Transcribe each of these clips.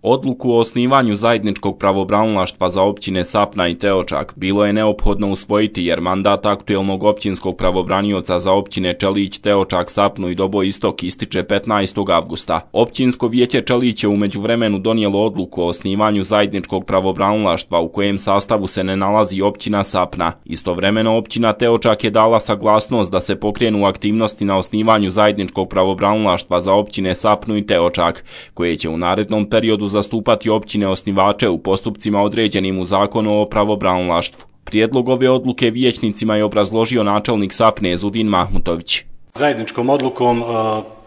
Odluku o osnivanju zajedničkog pravobranilaštva za općine Sapna i Teočak bilo je neophodno usvojiti jer mandat aktuelnog općinskog pravobranioca za općine Čelić, Teočak, Sapnu i Doboj Istok ističe 15. avgusta. Općinsko vijeće Čelić je u međuvremenu donijelo odluku o osnivanju zajedničkog pravobranilaštva u kojem sastavu se ne nalazi općina Sapna. Istovremeno općina Teočak je dala saglasnost da se pokrenu aktivnosti na osnivanju zajedničkog pravobranilaštva za općine Sapnu i Teočak, koje će u narednom periodu zastupati općine osnivače u postupcima određenim u zakonu o pravobranilaštvu. Prijedlog ove odluke vijećnicima je obrazložio načelnik Sapne Zudin Mahmutović. Zajedničkom odlukom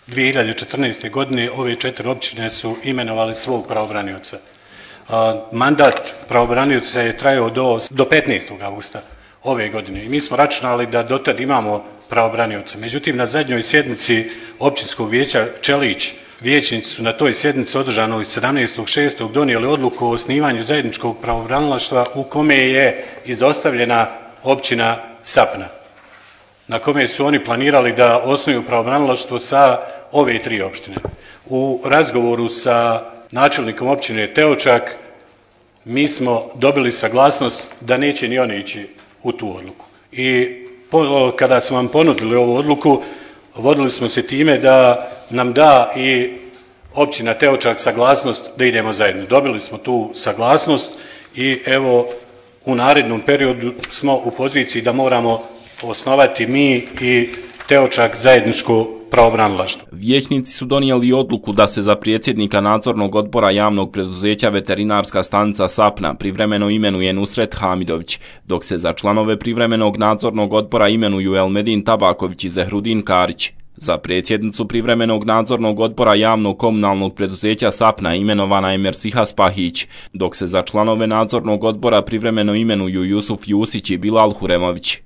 2014. godine ove 4 općine su imenovali svog pravobranioca. Mandat pravobranioca je trajao do 15. avgusta ove godine i mi smo računali da dotad imamo pravobranioca. Međutim, na zadnjoj sjednici općinskog vijeća Čelić vijećnici su na toj sjednici održanoj 17.6. donijeli odluku o osnivanju zajedničkog pravobranilaštva u kome je izostavljena općina Sapna, na kome su oni planirali da osnuju pravobranilaštvo sa ove 3 opštine. U razgovoru sa načelnikom općine Teočak mi smo dobili saglasnost da neće ni oni ići u tu odluku. I kada smo vam ponudili ovu odluku, vodili smo se time da nam da i općina Teočak saglasnost da idemo zajedno. Dobili smo tu saglasnost i evo u narednom periodu smo u poziciji da moramo osnovati mi i Teočak zajedničko pravobranilaštvo. Vijećnici su donijeli odluku da se za predsjednika nadzornog odbora javnog preduzeća Veterinarska stanica Sapna privremeno imenuje Nusret Hamidović, dok se za članove privremenog nadzornog odbora imenuju Elmedin Tabaković i Zehrudin Karić. Za predsjednicu privremenog nadzornog odbora javnog komunalnog preduzeća Sapna imenovana je Mersiha Spahić, dok se za članove nadzornog odbora privremeno imenuju Jusuf Jusić i Bilal Huremović.